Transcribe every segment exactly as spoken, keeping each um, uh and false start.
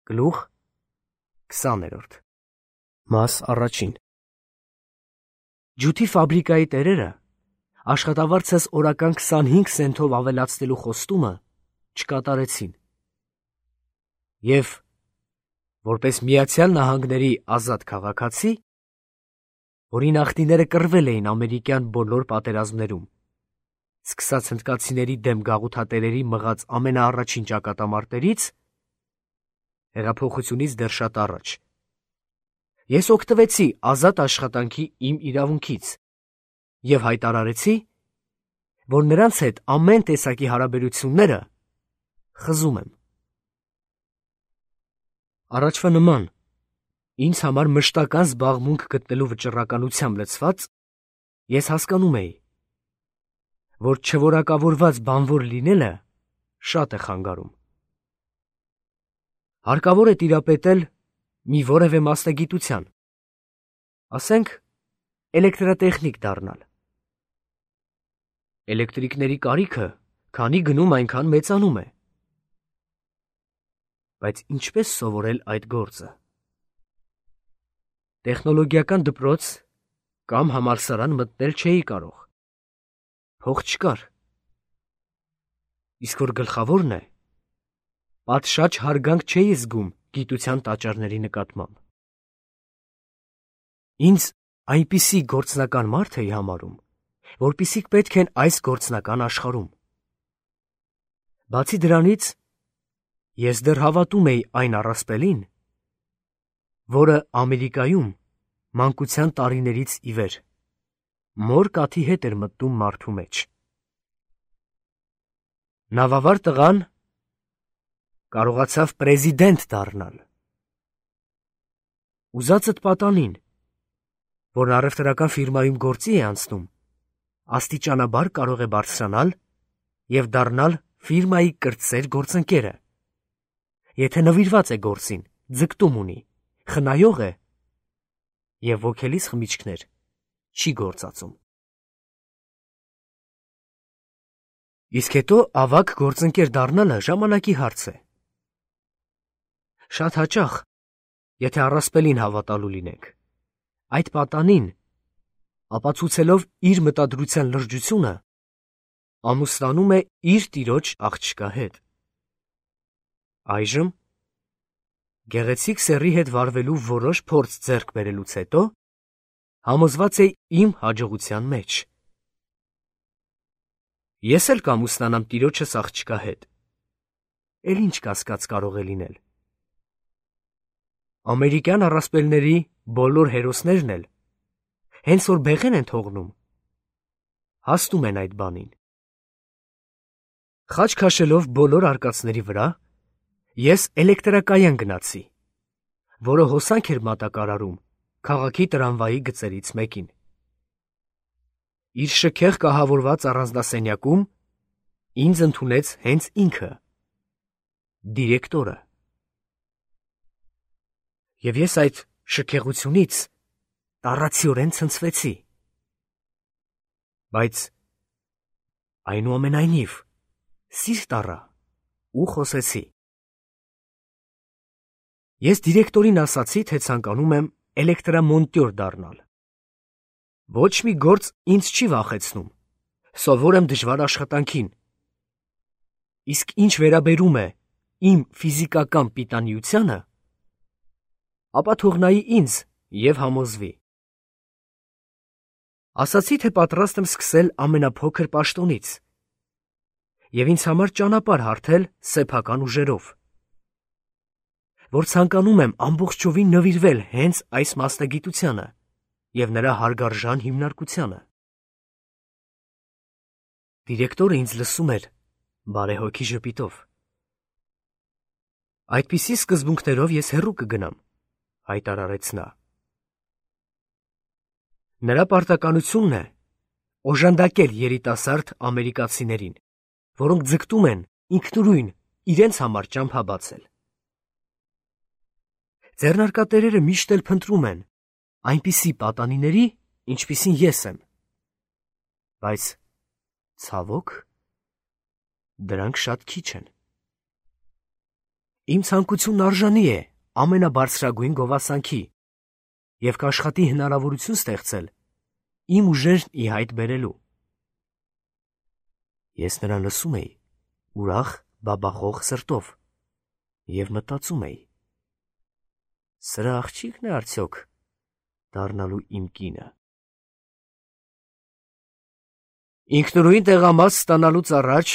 Գլուխ քսաներորդ Մաս առաջին Ջութի ֆաբրիկայի տերերը աշխատավարձս օրական քսանհինգ սենթով ավելացնելու խոստումը չկատարեցին և, որպես Միացյալ Նահանգների ազատ քաղաքացի, որի նախնիները կռվել էին ամերիկյան բոլոր պատերազմներում, սկսած հնդկացիների դեմ գաղութատերերի մղած ամենաառաջին ճակատամարտերից, հեղափոխությունից դեռ շատ առաջ, ես օգտվեցի ազատ աշխատանքի իմ իրավունքից և հայտարարեցի, որ նրանց հետ ամեն տեսակի հարաբերությունները խզում եմ։ Առաջվա նման, ինձ համար մշտական զբաղմունք գտնելու վճռականությամբ լցված, ես հասկանում էի, որ չորակավորված բանվոր լինելը շատ է խանգարում։ Հարկավոր է տիրապետել մի որևէ մասնագիտության, ասենք էլեկտրատեխնիկ դառնալ։ Էլեկտրիկների կարիքը քանի գնում այնքան մեծանում է։ Բայց ինչպես սովորել այդ գործը։ Տեխնոլոգիական դպրոց կամ համալսարան մտնել չէի կարող, փող չկար, իսկ որ գլխավորն է, պատշաճ հարգանք չէի զգում գիտության տաճարների նկատմամբ։ Ինձ այնպիսի գործնական մարդ էի համարում, որպիսիք պետք են այս գործնական աշխարհում։ Բացի դրանից, ես դեռ հավատում էի այն առասպելին, որը Ամերիկայում մանկության տարիներից ի վեր մոր կաթի հետ էր մտնում մարդու մեջ։ Նավավար տղան կարողացավ պրեզիդենտ դառնալ։ Ուզածդ պատանին, որն առևտրական ֆիրմայում գործի է անցնում, աստիճանաբար կարող է բարձրանալ և դառնալ ֆիրմայի կրտսեր գործընկերը, եթե նվիրված է գործին, ձգտում ունի, խնայող է և ոգելից խմիչքներ չի գործածում։ Իսկ հետո ավագ գործընկեր դառնալը ժամանակի հարց է։ Շատ հաճախ, եթե առասպելին հավատալու լինենք, այդ պատանին, ապացուցելով իր մտադրության լրջությունը, ամուսնանում է իր տիրոջ աղջկա հետ։ Այժմ, գեղեցիկ սեռի հետ վարվելու որոշ փորձ ձեռք բերելուց հետո, համոզված է իմ հաջողության մեջ։ Ես էլ կամուսնանամ տիրոջս աղջկա հետ, էլ ինչ կասկած կարող է լինել։ Ամերիկյան առասպելների բոլոր հերոսներն էլ, հենց որ բեղեն են թողնում, հասնում են այդ բանին։ Խաչ քաշելով բոլոր արկածների վրա, ես էլեկտրակայան գնացի, որը հոսանք էր մատակարարում քաղաքի տրամվայի գծերից մեկին։ Իր շքեղ կահավորված առանձնասենյակում ինձ ընդունեց հենց ինքը, դիրեկտորը։ Եվ ես այդ շքեղությունից տառացիորեն ցնցվեցի։ Բայց այնուամենայնիվ սիրտ առա ու խոսեցի։ Ես դիրեկտորին ասացի, թե ցանկանում եմ էլեկտրամոնտյոր դառնալ։ Ոչ մի գործ ինձ չի վախեցնում, սովոր եմ դժվար աշխատանքին։ Իսկ ինչ վերաբերում է իմ ֆիզիկական պիտանիությանը, ապա թող նայի ինձ և համոզվի։ Ասացի, թե պատրաստ եմ սկսել ամենափոքր պաշտոնից և ինձ համար ճանապարհ հարթել սեփական ուժերով, որ ցանկանում եմ ամբողջովին նվիրվել հենց այս մասնագիտությանը և նրա հարգարժան հիմնարկությանը։ Դիրեկտորը ինձ լսում էր բարեհոգի ժպիտով։ Այդպիսի սկզբունքներով ես հեռու կգնամ, հայտարարեց նա։ Նրա պարտականությունն է օժանդակել երիտասարդ ամերիկացիներին, որոնք ձգտում են ինքնուրույն իրենց համար ճամփա բացել։ Ձեռնարկատերերը միշտ էլ փնտրում են այնպիսի պատանիների, ինչպիսին ես եմ, բայց, ցավոք, դրանք շատ քիչ են։ Իմ ցանկությունն արժանի է ամենաբարձրագույն գովասանքի և կաշխատի հնարավորություն ստեղծել իմ ուժերն ի հայտ բերելու։ Ես նրան լսում էի ուրախ բաբախող սրտով և մտածում էի. սրա աղջիկն է արդյոք դառնալու իմ կինը։ Ինքնուրույն տեղամաս ստանալուց առաջ,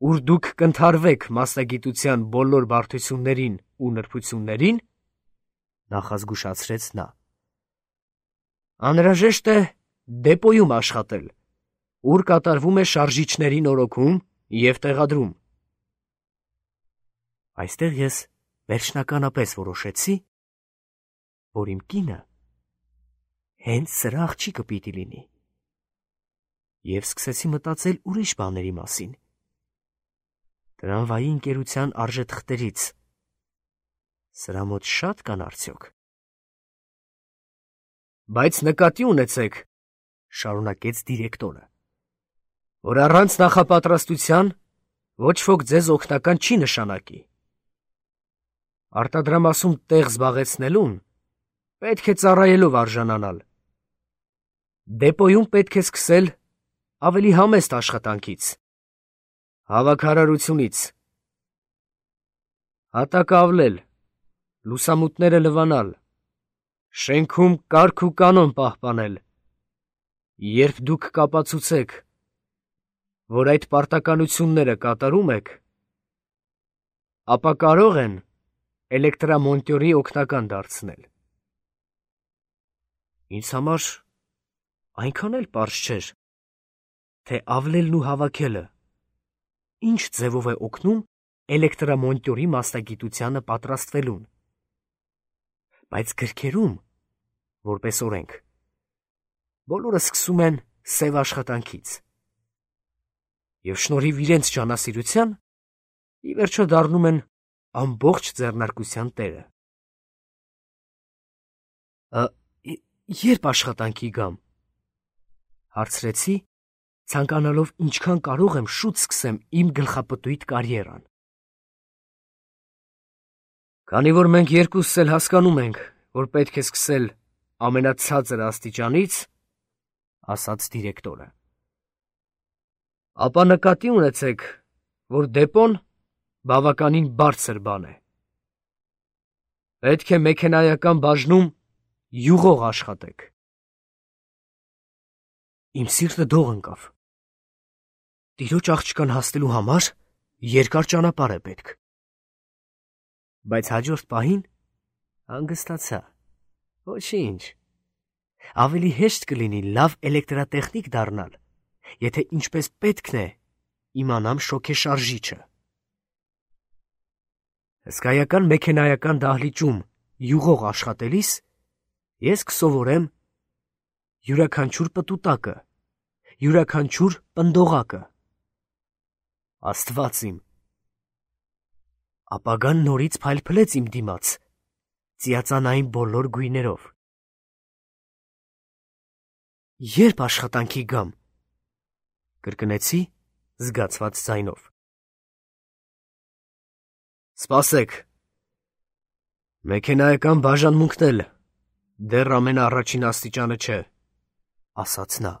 ուր դուք կընդհարվեք մասնագիտության բոլոր բարդություններին ու նրբություններին, նախազգուշացրեց նա, անհրաժեշտ է դեպոյում աշխատել, ուր կատարվում է շարժիչների նորոգում և տեղադրում։ Այստեղ ես վերջնականապես որոշեցի, որ իմ կինը հենց սրա աղջիկը պիտի լինի, և սկսեցի մտածել ուրիշ բաների մասին, տրամվայի ընկերության արժեթղթերից, սրա մոտ շատ կան արդյոք։ Բայց նկատի ունեցեք, շարունակեց դիրեկտորը, որ առանց նախապատրաստության ոչ ոք ձեզ օգնական չի նշանակի։ Արտադրամասում տեղ զբաղեցնելուն պետք է ծառայելով արժանանալ։ Դեպոյում պետք է սկսել ավելի համեստ աշխատանքից, հավաքարարությունից, հատակը ավլել, լուսամուտները լվանալ, շենքում կարգ ու կանոն պահպանել։ Երբ դուք կապացուցեք, որ այդ պարտականությունները կատարում եք, ապա կարող են էլեկտրամոնտյորի օգնական դարձնել։ Ինձ համար այնքան էլ պարզ չէր, թե ավլելն ու հավաքելը ինչ ձևով է օգնում էլեկտրամոնտյորի մասնագիտությանը պատրաստվելուն, բայց գրքերում, որպես օրենք, բոլորը սկսում են սև աշխատանքից և շնորհիվ իրենց ջանասիրության ի վերջո դառնում են ամբողջ ձեռնարկության տերը։ Երբ աշխատանքի գամ, հարցրեցի, ցանկանալով ինչքան կարող եմ շուտ սկսեմ իմ գլխապտույտ կարիերան։ Քանի որ մենք երկուսս էլ հասկանում ենք, որ պետք է սկսել ամենացածր աստիճանից, ասաց դիրեկտորը, ապա նկատի ունեցեք, որ դեպոն բավականին բարձր բան է։ Պետք է մեքենայական բաժնում յուղող աշխատեք։ Իմ սիրտը դող ընկավ։ Տիրոջ աղջկան հասնելու համար երկար ճանապարհ է պետք։ Բայց հաջորդ պահին հանգստացա։ Ոչինչ, ավելի հեշտ կլինի լավ էլեկտրատեխնիկ դառնալ, եթե ինչպես պետքն է իմանամ շոգեշարժիչը։ Հսկայական մեքենայական դահլիճում յուղող աշխատելիս ես կսովորեմ յուրաքանչյուր պտուտակը, յուրաքանչյուր պնդողակը։ Աստված իմ, ապագան նորից փայլփլեց իմ դիմաց, ծիածանային բոլոր գույներով։ Երբ աշխատանքի գամ, կրկնեցի զգացված ձայնով։ Սպասեք, մեքենայական բաժանմունքն էլ դեռ ամենաառաջին աստիճանը չէ, ասաց նա։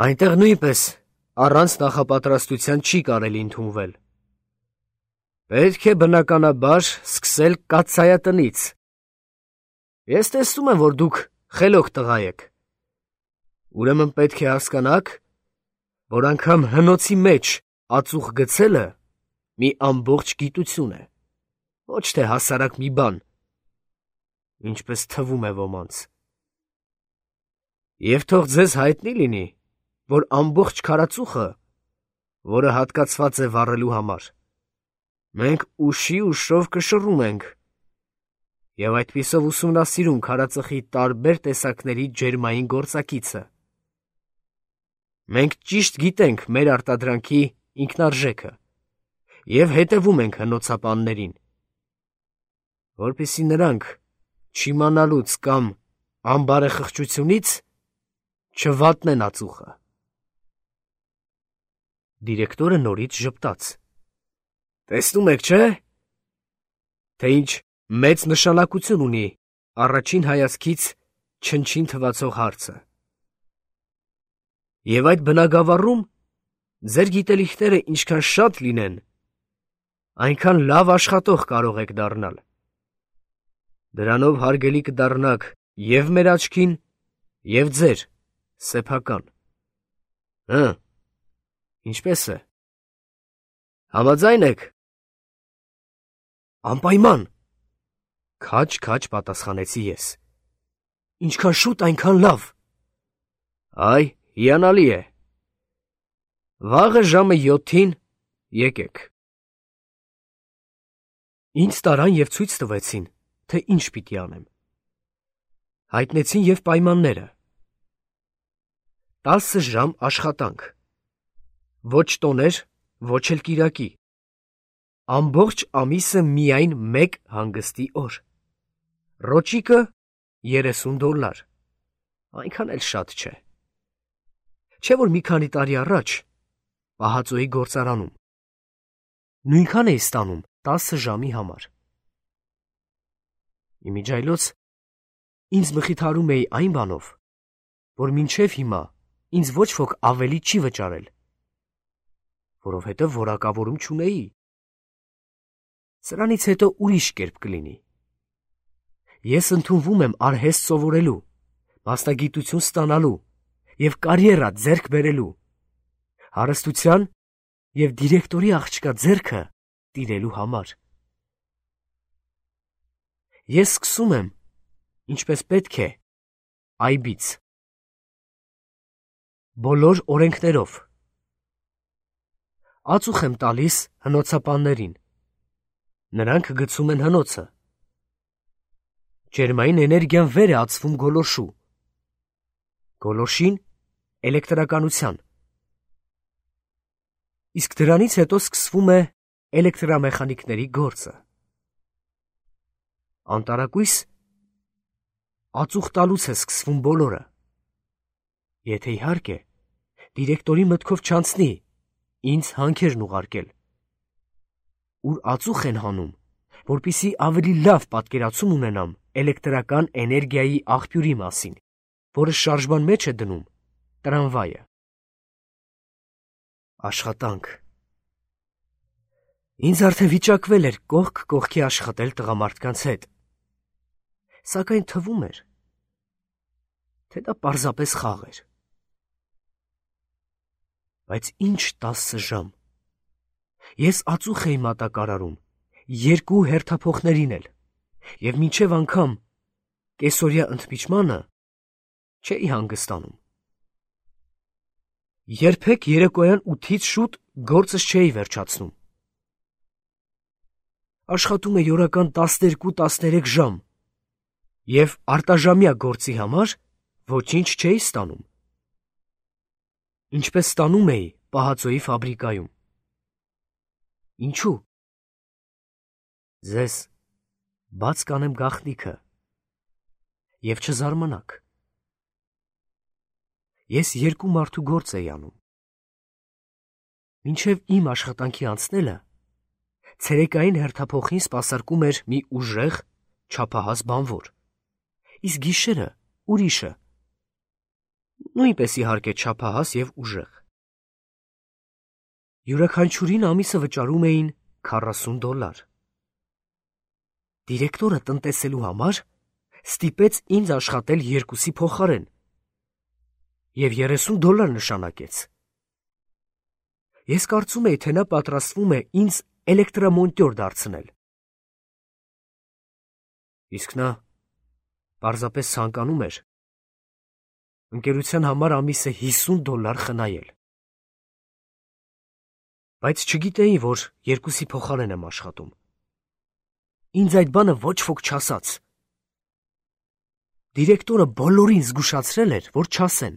Այնտեղ նույնպես առանց նախապատրաստության չի կարելի ընդունվել։ Պետք է բնականաբար սկսել կաթսայատնից։ Ես տեսնում եմ, որ դուք խելոք տղա եք։ Ուրեմն պետք է հասկանաք, որ անգամ հնոցի մեջ ածուխ գցելը մի ամբողջ գիտություն է, ոչ թե հասարակ մի բան, ինչպես թվում է ոմանց։ Եվ թող ձեզ հայտնի լինի, որ ամբողջ քարածուխը, որը հատկացված է վառելու համար, մենք ուշի ուշով կշռում ենք և այդպիսով ուսումնասիրում քարածխի տարբեր տեսակների ջերմային գործակիցը։ Մենք ճիշտ գիտենք մեր արտադրանքի ինքնարժեքը և հետևում ենք հնոցապաններին, որպեսզի նրանք չիմանալուց կամ անբարեխղճությունից չվատնեն ածուխը։ Դիրեկտորը նորից ժպտաց։ Տեսնում եք, չէ՞, թե ինչ մեծ նշանակություն ունի առաջին հայացքից չնչին թվացող հարցը։ Եվ այդ բնագավառում ձեր գիտելիքները ինչքան շատ լինեն, այնքան լավ աշխատող կարող եք դառնալ։ Դրանով հարգելի կդառնաք և մեր աչքին, և ձեր սեփական։ Հը, ինչպես է։ Համաձայն եք։ Անպայման, քաջ-քաջ պատասխանեցի ես։ Ինչքան շուտ, այնքան լավ։ Այ, հիանալի է։ Վաղը ժամը յոթին եկեք։ Ինձ տարան և ցույց տվեցին, թե ինչ պիտի անեմ։ Հայտնեցին և պայմանները։ Տասը ժամ աշխատանք։ Ոչ տոներ, ոչ էլ կիրակի։ Ամբողջ ամիսը միայն մեկ հանգստի օր։ Ռոճիկը երեսուն դոլար։ Այնքան էլ շատ չէ։ Չէ՞ որ մի քանի տարի առաջ պահածոյի գործարանում նույնքան էի ստանում տասը ժամի համար։ Իմիջայլոց ինձ մխիթարում էի այն բանով, որ մինչև հիմա ինձ ոչ ոք ավելի չի վճարել, որովհետև որակավորում չունեի։ Սրանից հետո ուրիշ կերպ կլինի։ Ես ընդունվում եմ արհեստ սովորելու, մասնագիտություն ստանալու և կարիերա ձեռք բերելու, հարստության և դիրեկտորի աղջկա ձեռքը տիրելու համար։ Ես սկսում եմ, ինչպես պետք է, այբից։ Բոլոր օրենքներով։ Ածուխ եմ տալիս հնոցապաններին։ Նրանք գցում են հնոցը։ Ջերմային էներգիան վեր է ածվում գոլորշու։ Գոլորշին էլեկտրականության։ Իսկ դրանից հետո սկսվում է էլեկտրամեխանիկների գործը։ Անտարակույս ածուխ տալուց է սկսվում բոլորը։ Եթե իհարկե դիրեկտորի մտքով չանցնի ինձ հանքերն ուղարկել, ուր ածուխ են հանում, որպեսզի ավելի լավ պատկերացում ունենամ էլեկտրական էներգիայի աղբյուրի մասին, որը շարժման մեջ է դնում տրամվայը։ Աշխատանք։ Ինձ արդեն վիճակվել էր կողք կողքի աշխատել տղամարդկանց հետ, սակայն թվում էր, թե դա պարզապես խաղ էր։ Բայց ինչ տասը ժամ։ Ես ածուխ էի մատակարարում, երկու հերթափոխներին էլ, և մինչև անգամ կեսօրյա ընդմիջմանը չէի հանգստանում։ Երբեք երեկոյան ութից շուտ գործս չէի վերջացնում։ Աշխատում էի օրական տասներկու-տասներեք ժամ և արտաժամյա գործի համար ոչինչ չէի ստանում, ինչպես ստանում էի պահածոյի ֆաբրիկայում։ Ինչու՞։ Ձեզ բաց կանեմ գաղտնիքը, և չզարմանաք։ Ես երկու մարդու գործ էի անում։ Մինչև իմ աշխատանքի անցնելը ցերեկային հերթափոխին սպասարկում էր մի ուժեղ, չափահաս բանվոր, իսկ գիշերը ուրիշը, նույնպես իհարկե չափահաս և ուժեղ։ Յուրաքանչյուրին ամիսը վճարում էին քառասուն դոլար։ Դիրեկտորը տնտեսելու համար ստիպեց ինձ աշխատել երկուսի փոխարեն և երեսուն դոլար նշանակեց։ Ես կարծում էի, թե նա պատրաստվում է ինձ էլեկտրամոնտյոր դարձնել։ Իսկ նա պարզապես ցանկանում էր ընկերության համար ամիսը հիսուն դոլար խնայել։ Բայց չգիտեի, որ երկուսի փոխարեն եմ աշխատում։ Ինձ այդ բանը ոչ ոք չասաց։ Դիրեկտորը բոլորին զգուշացրել էր, որ չասեն։